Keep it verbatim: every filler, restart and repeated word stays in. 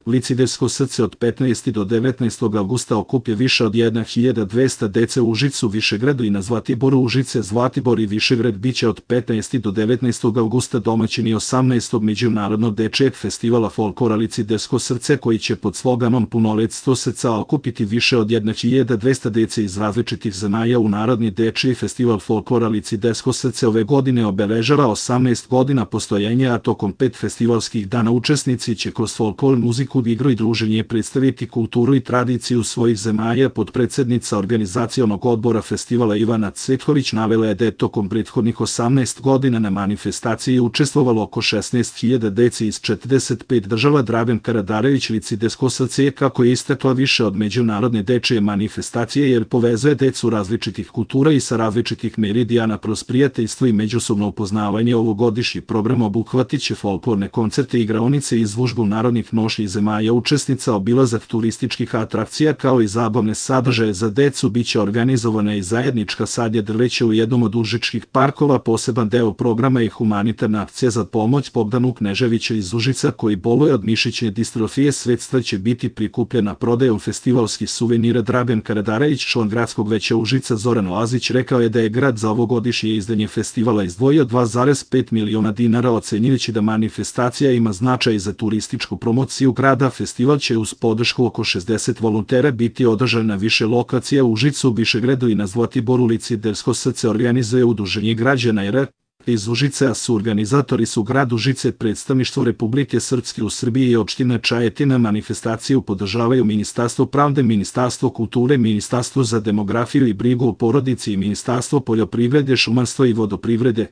Licidejsko srce od petnaestog do devetnaestog avgusta okuplja više od hiljadu dvesta dece u Užicu, Višegradu i na Zlatiboru. Užice, Zlatibor i Višegrad biće od petnaestog do devetnaestog avgusta domaćini osamnaestog međunarodnog dečijeg festivala folklora Licidejsko srce, koji će pod sloganom Punoletstvo srca okupiti više od hiljadu dvesta dece iz različitih zemalja u Narodni dečiji festival folklora Licidejsko srce ove godine obeležava osamnaest godina postojanja, a tokom pet festivalskih dana učesnici će kroz folklor, muziku, igru i druženje predstaviti kulturu i tradiciju svojih zemalja. Potpredsednica organizacionog odbora festivala Ivana Cvetković navela je da je tokom prethodnih osamnaest godina na manifestaciji učestvovalo oko šesnaest hiljada dece iz četrdeset pet država. Dragan Karadarević, Licidejsko srce je, kako je istakla, više od međunarodne dečije manifestacije, jer povezuje decu različitih kultura i sa različitih meridijana. Kroz prijateljstvo i međusobno upoznavanje ovogodišnji program obuhvatiće folklorne koncerte, igraonice, izložbu narodnih nošnji zemalja učesnica, obilazak turističkih atrakcija, kao i zabavne sadržaje za decu. Biće organizovana i zajednička sadnja drveća u jednom od užičkih parkova. Poseban deo programa je humanitarna akcija za pomoć Bogdanu Kneževića iz Užica, koji boluje od mišićne distrofije. Sredstva će biti prikupljena prodajom festivalskih suvenira. Dragan Karadarević, član gradskog veća Užica Zoran Lazić, rekao je da je grad za ovogodišnje izdanje festivala izdvojio dva zarez pet miliona dinara, ocenjujući da manifestacija ima značaj za turističku promociju grada. Festival će uz podršku oko šezdeset volontera biti održan na više lokacija u Užicu, Višegradu i na Zlatiboru. Licidejsko srce organizuje Udruženje građana R iz Užice, a su organizatori su grad Užice, predstavništvo Republike Srpske u Srbiji i opština Čajetina. Manifestaciju podržavaju Ministarstvo pravde, Ministarstvo kulture, Ministarstvo za demografiju i brigu o porodici i Ministarstvo poljoprivrede, šumarstva i vodoprivrede.